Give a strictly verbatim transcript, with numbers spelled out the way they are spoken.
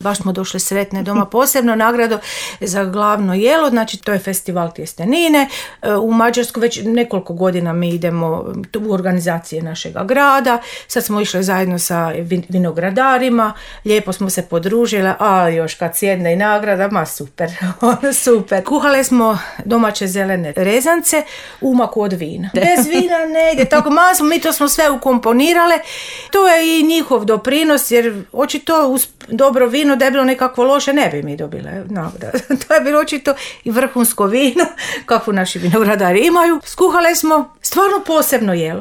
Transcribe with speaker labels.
Speaker 1: Baš smo došli sretne doma, posebno nagradu za glavno jelo, znači to je festival tjestenine. U Mađarsku već nekoliko godina mi idemo u organizacije našega grada. Sad smo išli zajedno sa vinogradarima, lijepo smo se podružile, ali još kad sjedne i nagrada, ma super, super. Kuhale smo domaće zelene rezance u maku od vina. Bez vina ne ide, tako malo smo, mi to smo sve ukomponirale. To je i njihov doprinos, jer očito uz dobro vino da je bilo nekakvo loše, ne bi mi dobile nagradu. To je bilo očito i vrhunsko vino, kakvu naši vinogradari imaju. Skuhale smo stvarno posebno jelo.